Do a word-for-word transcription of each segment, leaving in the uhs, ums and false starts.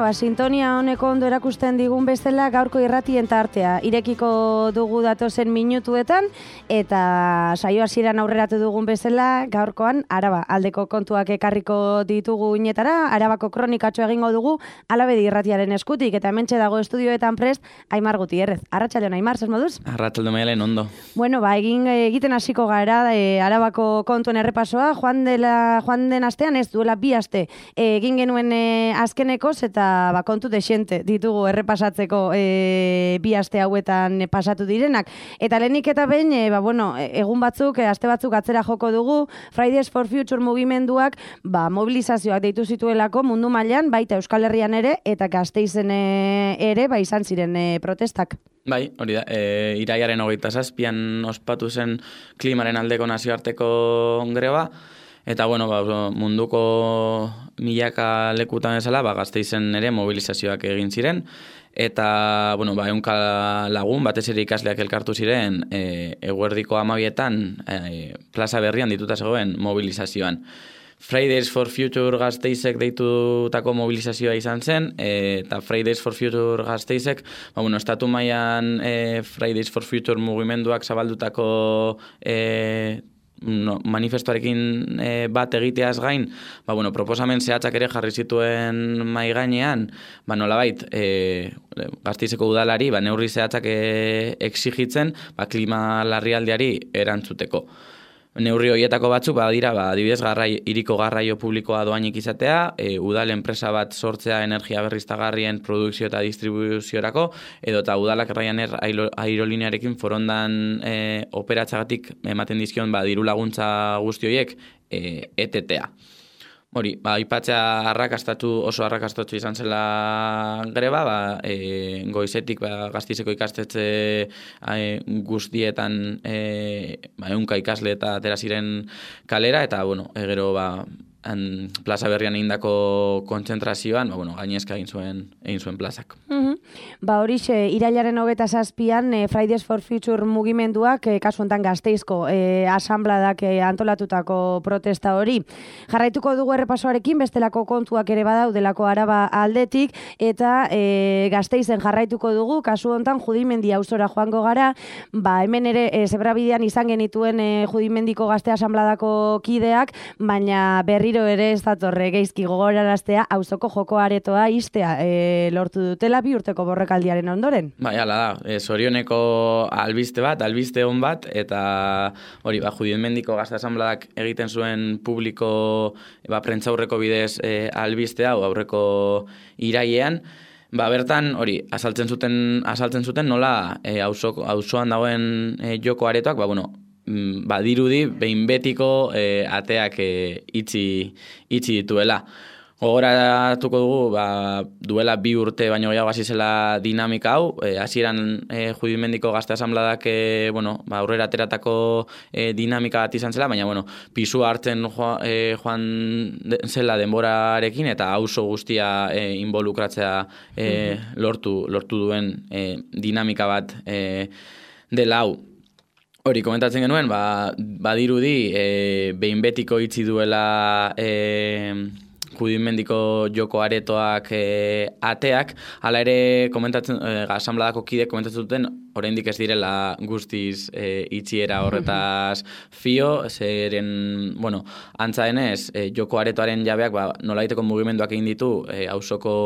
ba, sintonia honeko ondo erakusten digun bezala gaurko irratien tartea. Irekiko dugu datozen minutuetan, eta saio hasieran aurreratu dugun bezala gaurkoan Araba aldeko kontuak ekarriko ditugu inetara, Arabako kronikatxo egingo dugu Alabedi irratiaren eskutik, eta hementxe dago estudioetan prest Aimar Gutierrez. Arratsaldeon Aimar, zer moduz? Arratsaldeon Maialen, ondo. Bueno, ba, egin egiten hasiko gara e, Arabako kontuen errepasoa, joan dela joan den astean ez duela bi aste egin genuen e, azkenekoz, eta ba, kontu desente ditugu errepasatzeko e, bi aste hauetan e, pasatu direnak. Eta lehenik eta behin, e, ba, bueno, egun batzuk, e, aste batzuk atzera joko dugu, Fridays for Future mugimenduak ba, mobilizazioak deitu zituelako mundu mailan, baita Euskal Herrian ere, eta Gasteizen e, ere, ba, izan ziren e, protestak. Bai, hori da, e, iraiaren hogeita zazpian ospatu zen klimaren aldeko nazioarteko greba, eta bueno, ba, munduko milaka lekutan bezala, ba, Gasteizen ere mobilizazioak egin ziren, eta bueno, ba, ehunka lagun, batez ere ikasleak elkartu ziren, e, eguerdiko hamabietan e, plaza berrian dituta zegoen mobilizazioan. Fridays for Future Gasteizek deitutako mobilizazioa izan zen, e, eta Fridays for Future Gasteizek, ba, bueno, estatu mailan e, Fridays for Future mugimenduak zabaldutako e, no, manifestuarekin e, bat egiteaz gain, ba, bueno, proposamen zehatzak ere jarri zituen mai gainean, ba, nolabait, e, Gasteizeko udalari, ba, neurri zehatzak e, exigitzen, ba, klima larrialdiari erantzuteko. Neurri horietako batzuk, ba, dira, ba, adibidez, garrai, iriko garraio publikoa doainik izatea, e, udal enpresa bat sortzea energia berriztagarrien produkzio eta distribuziorako, edo eta udalak Ryanair aerolinearekin forondan e, operatzagatik ematen dizkion ba, diru laguntza guzti horiek e, etetea. Hori, ba, aipatzea arrakastatu, oso arrakastatu izan zela greba, ba, e, goizetik ba, Gasteizeko ikastetxe e, guztietan e, ba, ehunka ikasle eta atera ziren kalera, eta bueno, e, gero ba, an, plaza berrian egindako kontzentrazioan, ba, bueno, gainezka egin zuen, egin zuen plazak. Mm-hmm. Ba, horixe, irailaren hogeita zazpian e, Fridays for Future mugimenduak, e, kasu honetan Gasteizko e, asambladak e, antolatutako protesta hori. Jarraituko dugu errepasoarekin, bestelako kontuak ere badaudelako Araba aldetik, eta e, Gasteizen jarraituko dugu, kasu honetan Judimendi auzora joango gara, ba, hemen ere e, Zebrabidean izan genituen e, Judimendiko Gazte asambladako kideak, baina berri ere ez datorre geizki gogoraraztea auzoko joko aretoa istea e, lortu dutela bi urteko borrekaldiaren ondoren. Bai, ala da, e, zorioneko albiste bat, albiste on bat, eta hori, ba, Judimendiko Gazte asambladak egiten zuen publiko ba, prentzaurreko bidez e, albiste hau aurreko irailean, ba, bertan, hori, azaltzen zuten, azaltzen zuten nola e, auzoan dagoen e, joko aretoak, ba, bueno, ba, dirudi behin betiko e, ateak e, itxi, itxi dituela. Gogoratuko dugu, ba, duela bi urte baino gehiago hasi zela dinamika hau, e, hasieran e, Judimendiko Gazte asambladak e, bueno, ba, aurrera ateratako e, dinamika bat izan zela, baina bueno, pisua hartzen joa, e, joan zela denborarekin, eta auzo guztia e, involukratzea e, lortu, lortu duen e, dinamika bat e, dela hau. Hori, komentatzen genuen, ba, badirudi e, behin betiko itxi duela e, Judimendiko joko aretoak e, ateak, hala ere komentatzen, e, asambladako kide komentatzen duten, oraindik ez direla guztiz e, itxiera horretaz fio, zeren, bueno, antza denez, e, joko aretoaren jabeak, ba, nolaiteko mugimenduak egin ditu, e, auzoko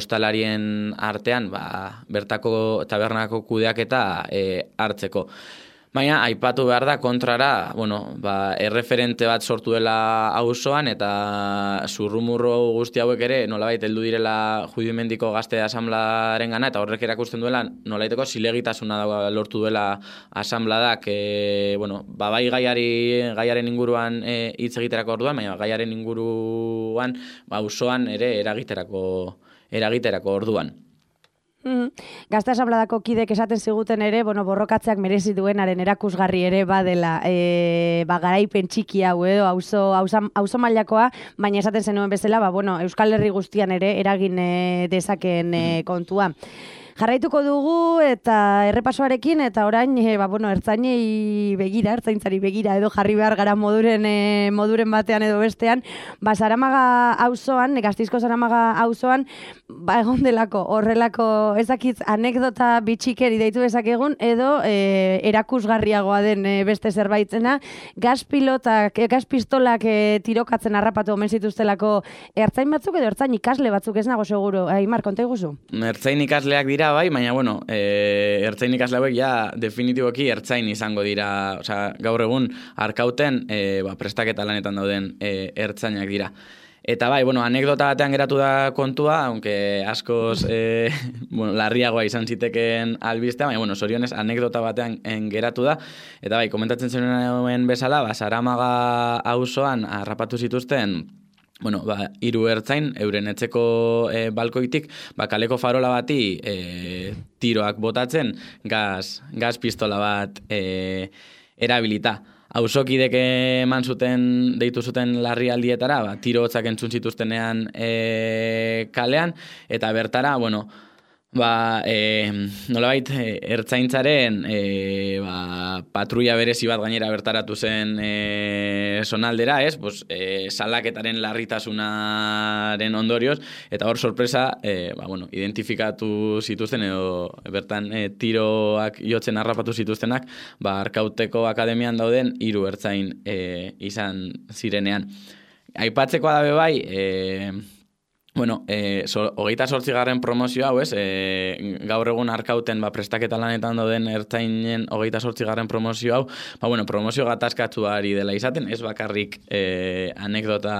ostalarien artean, ba, bertako tabernako kudeak eta e, hartzeko. Baina, aipatu behar da, kontrara, bueno, ba, erreferente bat sortu dela auzoan, eta zurrumurro guzti hauek ere nolabait heldu direla Judimendiko Gazte asamblaren gana, eta horrek erakusten duela nolaiteko zilegitasuna lortu duela asambladak, e, bueno, ba, bai gaiari, gaiaren inguruan e, hitz egiterako orduan, baina gaiaren inguruan ba, auzoan ere eragiterako, eragiterako orduan. Mm-hmm. Gazte asambladako kidek esaten ziguten ere, bueno, borrokatzeak merezi duenaren erakusgarri ere badela, e, ba, garaipen txiki hau edo auzo auzo mailakoa, baina esaten zenuen bezala, ba, bueno, Euskal Herri guztian ere eragin e, dezakeen e, kontua. Jarraituko dugu eta errepasoarekin eta orain e, ba, bueno, ertzainei begira, ertzaintzari begira edo jarri behar gara moduren, e, moduren batean edo bestean, ba, Zaramaga auzoan, Gasteizko Zaramaga auzoan, ba, egon delako, horrelako ezakitz anekdota bitxikeri deitu dezakegun edo e, erakusgarriagoa den e, beste zerbaitena, gaz pilotak, e, gaz pistolak e, tirokatzen harrapatu omen zituztelako ertzain batzuk edo ertzain ikasle batzuk, ez nago seguro. Aimar, konta iguzu? Ertzain ikasleak dira, bai, baina, bueno, e, ertzain ikasle hauek ja definitiboki ertzain izango dira, osea, gaur egun arkauten e, ba, prestaketa lanetan dauden e, ertzainak dira. Eta bai, bueno, anekdota batean geratu da kontua, aunque askoz e, bueno, larriagoa izan ziteken albistea, baina, bueno, zorionez, anekdota batean en, geratu da. Eta bai, komentatzen zenuen bezala, ba, Zaramaga auzoan harrapatu zituzten, bueno, ba, hiru ertzain, euren etxeko e, balkoitik, ba, kaleko farola bati e, tiroak botatzen, gaz, gaz pistola bat e, erabilita. Auzokidek eman zuten, deitu zuten larrialdietara, ba, tiro hotzak entzun zituztenean e, kalean, eta bertara, bueno, ba, e, nolabait, ertzaintzaren e, ba, patrulla berezi bat gainera bertaratu zen e, sonaldera, ez? Pues, e, salaketaren larritasunaren ondorioz, eta hor sorpresa, e, ba, bueno, identifikatu zituzten, edo bertan e, tiroak jotzen harrapatu zituztenak, ba, Arkauteko akademian dauden hiru ertzain e, izan zirenean. Aipatzekoa dabe bai, e, Bueno, eh, so, hogeita zortzigarren promozio hau, ez, eh, gaur egun Arkauten ba, prestaketa lanetan dauden ertzainen hogeita zortzigarren promozio hau, ba, bueno, promozio gatazkatu ari dela izaten, ez bakarrik eh, anekdota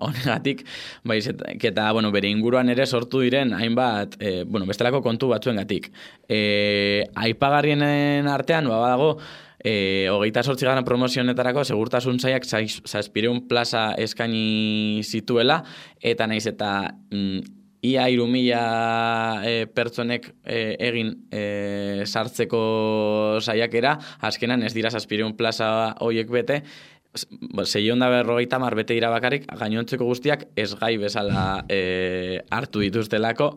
honegatik, ba, eta, bueno, bere inguruan ere sortu diren hainbat, eh, bueno, bestelako kontu batzuengatik. Eh, aipagarrienen artean, ba, badago, E, hogeita sortzigarren promozionetarako segurtasun sailak zazpireun plaza eskaini zituela, eta naiz eta mm, ia hiru mila e, pertsonek e, egin e, sartzeko saiakera, azkenan ez dira zazpireun plaza hoiek bete, seiehun eta berrogeita hamar bete dira bakarrik, gainontzeko guztiak ez gai bezala e, hartu dituztelako,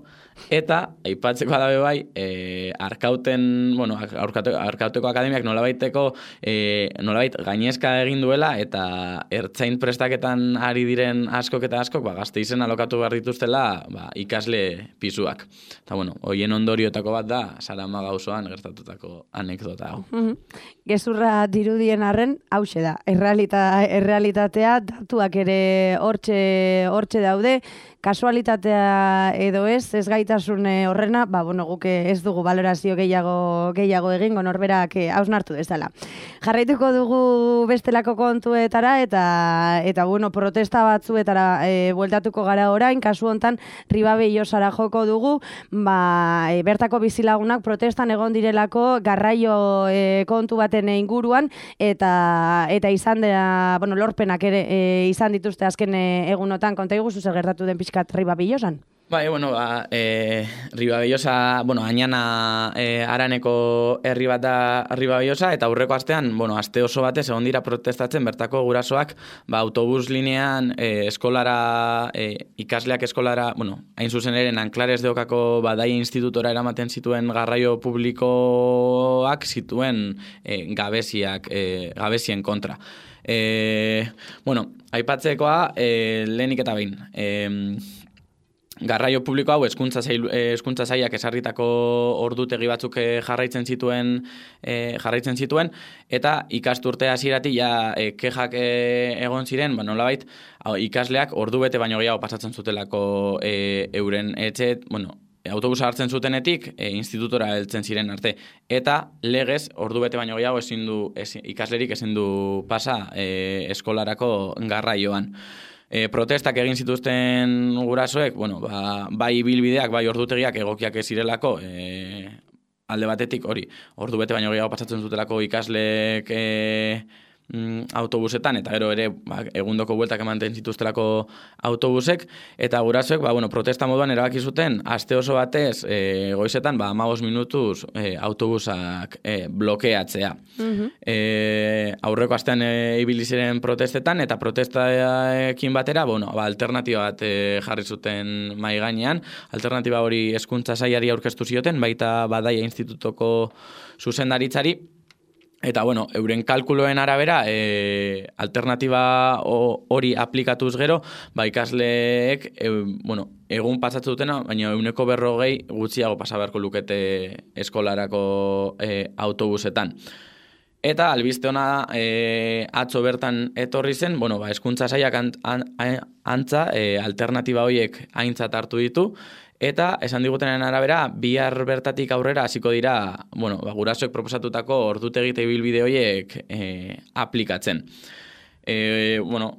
eta aipatzeko dabe bai, e, Arkauten, bueno, Arkauteko, Arkauteko akademiak nolabaiteko, e, nolabait gainezka egin duela, eta ertzain prestaketan ari diren askok eta askok, ba, Gasteizen alokatu behar dituztela, ba, ikasle pisuak. Eta, bueno, hoien ondoriotako bat da, Zaramaga auzoan gertatutako anekdota hau. Mm-hmm. Gezurra dirudien arren, hause da, errealita, errealitatea, datuak ere hortxe, hortxe daude, kasualitatea edo ez, ez gaitasun horrena, ba, bueno, guk ez dugu valorazio gehiago, gehiago egingo norberak hausnartu dezala. Jarraituko dugu bestelako kontuetara eta, eta bueno, protesta batzuetara e, bueltatuko gara orain, kasu hontan Ribabellosara joko dugu, ba, e, bertako bizilagunak protestan egon direlako garraio e, kontu baten inguruan, eta, eta izan dira, bueno, lorpenak ere e, izan dituzte azken e, egunotan, konta iguzu zer gertatu den pixkat Ribabellosan? Bai, bueno, ba, e, Ribabellosa, bueno, Añana e, Araneko herri bat da Ribabellosa, eta aurreko astean, bueno, aste oso batez egon dira protestatzen bertako gurasoak, ba, autobus linean e, eskolara, e, ikasleak eskolara, bueno, hain zuzen ere, Nanclares de Ocako Badaia Institutora eramaten zituen garraio publikoak zituen e, gabeziak, e, gabezien kontra. E, bueno, aipatzekoa, e, lehenik eta behin, e, garraio publiko hau hezkuntza sail, hezkuntza sailak esarritako ordutegi batzuk jarraitzen zituen e, jarraitzen zituen eta ikasturte hasieratik ja e, kexak e, egon ziren, ba nolabait ikasleak ordu bete baino gehiago pasatzen zutelako e, euren etxe, bueno, autobusa hartzen zutenetik e, institutora heltzen ziren arte, eta legez ordu bete baino gehiago ezin du ezin, ikaslerik ezin du pasa e, eskolarako garraioan. E, protestak egin zituzten gurasoek, bueno, ba, bai bilbideak, bai ordutegiak egokiak ez zirelako, e, alde batetik hori, ordu bete baino gehiago pasatzen zutelako ikasleek e, mm, autobusetan, eta gero ere ba, egundoko bueltak ematen zituztelako autobusek, eta gurasoek ba, bueno, protesta moduan erabaki zuten, aste oso batez e, goizetan ba, hamabost minutuz e, autobusak e, blokeatzea. Mm-hmm. e, aurreko astean e, ibili ziren protestetan, eta protestaekin batera bueno, ba, alternatiba bat e, jarri zuten mai gainean, alternatiba hori hezkuntza sailari aurkeztu zioten, baita Badaia Institutoko zuzendaritzari, eta, bueno, euren kalkuloen arabera, e, alternatiba hori aplikatuz gero, ba, ikasleek, e, bueno, egun pasatzen dutena, baina euneko berrogei gutxiago pasa beharko lukete eskolarako e, autobusetan. Eta albiste ona e, atzo bertan etorri zen, bueno, ba, hezkuntza sailak an, an, antza e, alternatiba horiek aintzat hartu ditu, eta esan digutenen arabera, bihar bertatik aurrera hasiko dira, bueno, ba, gurasoek proposatutako ordutegi eta ibilbide horiek e, aplikatzen. E, bueno,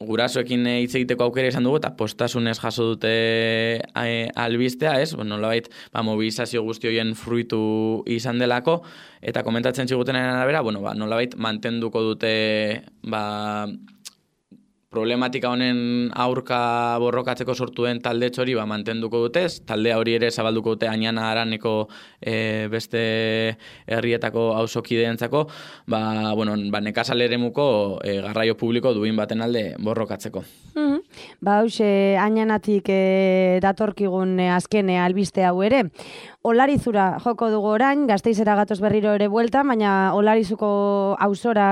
gurasoekin hitz egiteko aukera izan dugu, eta postasunez jaso dute e, albistea, ez? Bueno, nolabait, ba, mobilizazio guzti horien fruitu izan delako, eta komentatzen zigutenen arabera, bueno, ba, nolabait mantenduko dute, ba, problematika honen aurka borrokatzeko sortu den talde txori ba, mantenduko dutez, taldea hori ere zabalduko dute Añana Araneko e, beste herrietako auzokideentzako, ba, bueno, ba, nekazal eremuko e, garraio publiko duin baten alde borrokatzeko. Mm-hmm. Ba, hause, Añanatik e, datorkigun e, azken e, albiste hau ere. Olarizura joko dugu orain, Gasteizera gatoz berriro ere buelta, baina Olarizuko auzora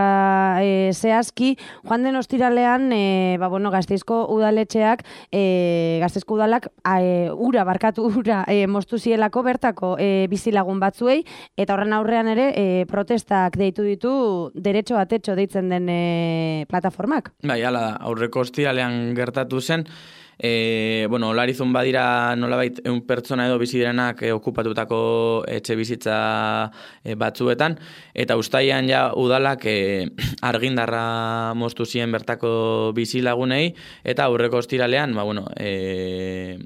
e, zehazki, joan den ostiralean, e, ba, bueno, Gasteizko udaletxeak, e, Gasteizko udalak e, ura, barkatu ura, e, moztu zielako bertako e, bizilagun batzuei, eta horren aurrean ere e, protestak deitu ditu derecho a techo deitzen den e, plataformak. Bai, ala, aurreko ostiralean gertatu zen, E, bueno, Olarizun badira nolabait ehun pertsona edo bizi direnak e, okupatutako etxe bizitza e, batzuetan, eta uztailean ja udalak e, argindarra moztu zien bertako bizilagunei, eta aurreko ostiralean, ba, bueno, e,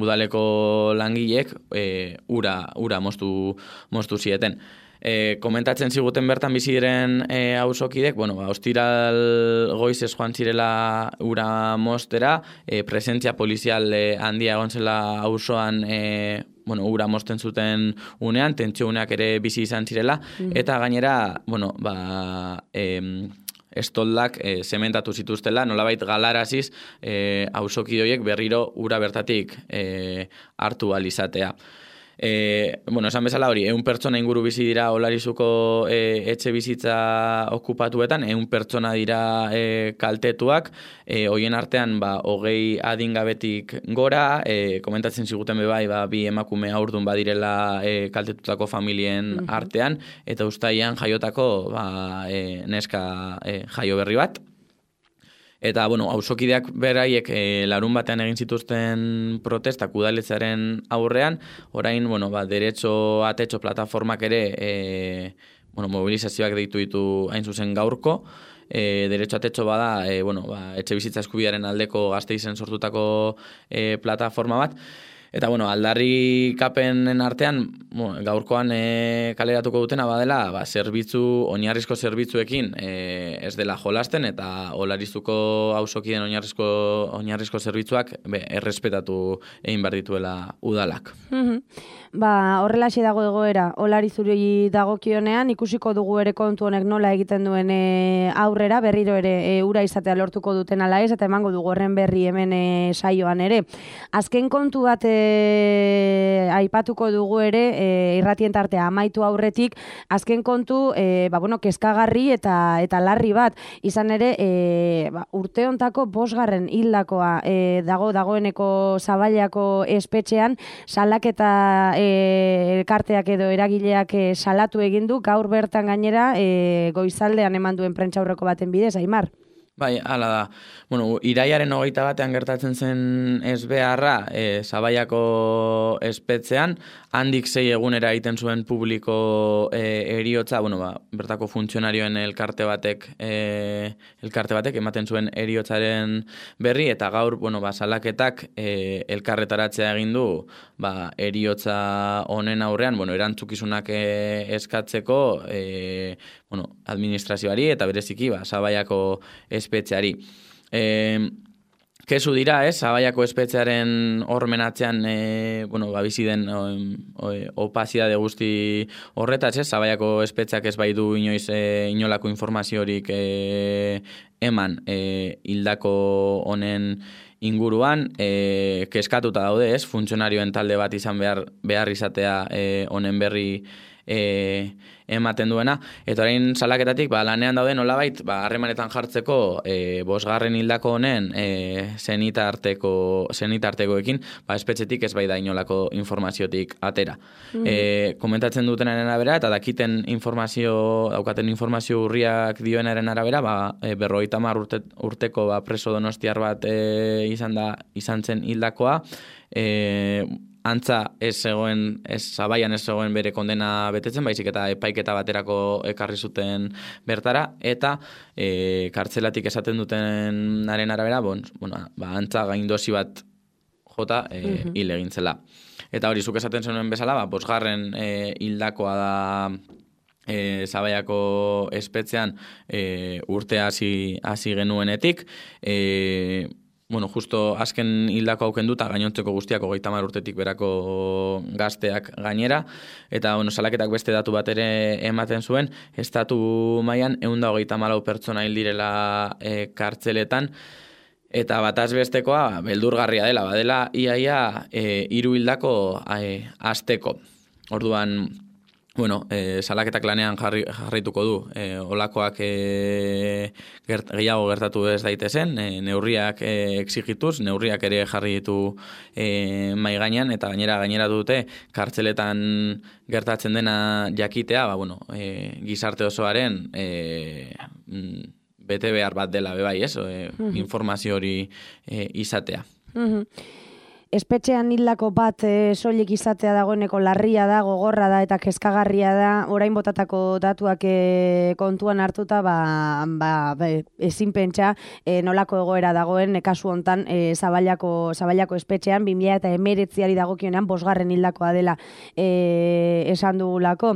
udaleko langileek e, ura, ura moztu, moztu zieten. E, komentatzen ziguten bertan bizi diren e, auzokidek, bueno, ba, ostiral goizez joan zirela ura mostera, e, presentzia polizial e, handia egon zela auzoan e, bueno, ura mosten zuten unean, tentsio uneak ere bizi izan zirela, mm. eta gainera, bueno, ba, e, estoldak e, zementatu zituztela, nolabait galaraziz e, auzokidoiek berriro ura bertatik e, hartu alizatea. E, bueno, esan bezala hori, ehun pertsona inguru bizi dira Olarizuko e, etxe bizitza okupatuetan, ehun pertsona dira e, kaltetuak, e, hoien artean ba, hogei adingabetik gora, e, komentatzen ziguten bebai, ba, bi emakume haurdun badirela e, kaltetutako familien mm-hmm. artean, eta uztailean jaiotako ba, e, neska e, jaio berri bat. Eta, bueno, auzokideak beraiek e, larun batean egin zituzten protestak udaletzaren aurrean, orain, bueno, ba, derecho a techo plataformak ere, e, bueno, mobilizazioak deitu ditu hain zuzen gaurko, e, derecho a techo bada, e, bueno, ba, etxe bizitza eskubidearen aldeko Gasteizen sortutako e, plataforma bat. Eta, bueno, aldarri kapenen artean, bueno, gaurkoan e, kaleratuko dutena badela, ba, zerbitzu, oinarrizko zerbitzuekin e, ez dela jolasten, eta Olarizuko auzokideen oinarrizko, oinarrizko zerbitzuak be, errespetatu egin behar dituela udalak. Mm-hmm. Ba, horrelaxe dago egoera, Olarizuri dagokionean, ikusiko dugu ere kontu honek nola egiten duen e, aurrera, berriro ere e, ura izatea lortuko duten ala ez, eta emango dugu horren berri hemen e, saioan ere. Azken kontu bat e, aipatuko dugu ere, e, irratien tartea amaitu aurretik, azken kontu, e, ba, bueno, kezkagarri eta eta larri bat, izan ere, e, ba, urte hontako bosgarren hildakoa e, dago dagoeneko Zaballako espetxean, salaketa E, elkarteak edo eragileak e, salatu egin du, gaur bertan gainera e, goizaldean eman duen prentsaurreko baten bidez, Aimar. Bai, hala da. Bueno, iraiaren hogeita batean gertatzen zen ezbeharra e, Zabaiako espetzean, handik sei egunera egiten zuen publiko e, eriotza, bueno, ba, bertako funtzionarioen elkarte batek e, elkarte batek ematen zuen eriotzaren berri, eta gaur, bueno, ba, salaketak e, elkarretaratzea egin du, ba, eriotza honen aurrean, bueno, erantzukizunak e, eskatzeko, e, bueno, administrazioari eta bereziki, ba, Zabaiako espetzeari. E, kesu dira, ez, Zabaiako espetzearen hormenatzean, e, bueno, ba, bizi den o, o, opazitate guzti horretaz, ez, Zabaiako espetzeak ez baitu inoiz e, inolako informaziorik e, eman e, hildako honen inguruan, e, keskatuta daude, ez, funtzionarioen talde bat izan behar, behar izatea e, honen berri E, ematen duena, eta orain salaketatik ba, lanean daude nolabait ba, harremanetan jartzeko e, bosgarren hildako honen e, zenitarteko zenitartekoekin, ba, espetxetik ez bai da inolako informaziotik atera. Mm. E, komentatzen dutenaren arabera eta dakiten informazio, daukaten informazio urriak dioenaren arabera, ba, e, berrogeita hamar urte, urteko ba, preso donostiar bat e, izan da izan zen hildakoa, e, antza ez zegoen, ez Zabaian ez zegoen bere kondena betetzen, baizik eta epaiketa baterako ekarri zuten bertara, eta e, kartzelatik esaten dutenaren arabera, bon, bueno, ba, antza gaindosi bat jota e, uh-huh. hil egin zela. Eta hori, zuk esaten zenuen bezala, ba, bosgarren e, hildakoa da e, Zabaiako espetzean e, urte hasi hasi genuenetik, e, bueno, justo azken hildako hauken duta gainontzeko guztiak hogeita hamar urtetik berako gazteak gainera, eta bueno, salaketak beste datu bat ere ematen zuen, estatu mailan ehun eta hogeita hamalau pertsona hil direla e, kartzeletan, eta bataz bestekoa beldurgarria dela, badela iaia e, hiru hildako e, asteko. Orduan, bueno, e, salaketak lanean jarri, jarraituko du, e, olakoak e, gert, gehiago gertatu ez daitezen, e, neurriak e, exigituz, neurriak ere jarri ditu e, mai gainean, eta gainera gainera dute kartzeletan gertatzen dena jakitea, ba, bueno, e, gizarte osoaren e, bete behar bat dela bebai, ez? E, uh-huh. Informazio hori e, izatea. Uh-huh. Espetxean hildako bat e, soilik izatea dagoeneko larria da, gogorra da eta kezkagarria da, orain botatako datuak e, kontuan hartuta, ba, ba, ba, ezin pentsa e, nolako egoera dagoen e, kasu hontan e, Zabaiako, Zabaiako espetxean, bi mila hemeretziari dagokionean bosgarren hildakoa dela e, esan dugulako.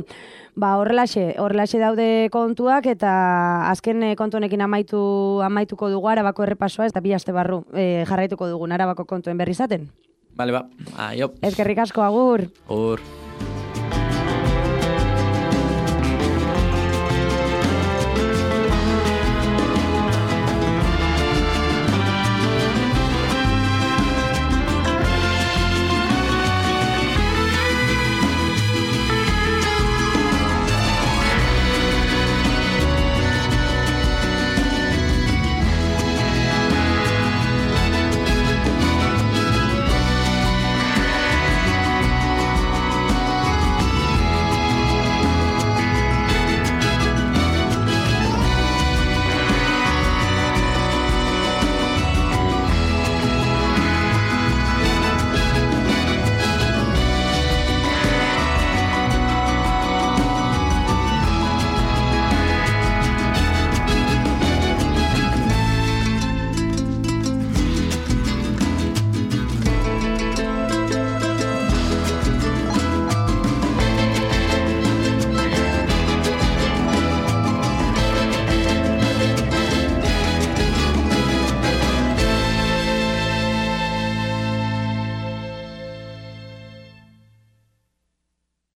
Ba, horrelaxe, horrelaxe daude kontuak, eta azken kontu honekin amaitu, amaituko dugu Arabako errepasoa, ez da bi aste barru e, jarraituko dugun Arabako kontuen berri izaten. Bale, ba, aio. Eskerrik asko, agur. Agur.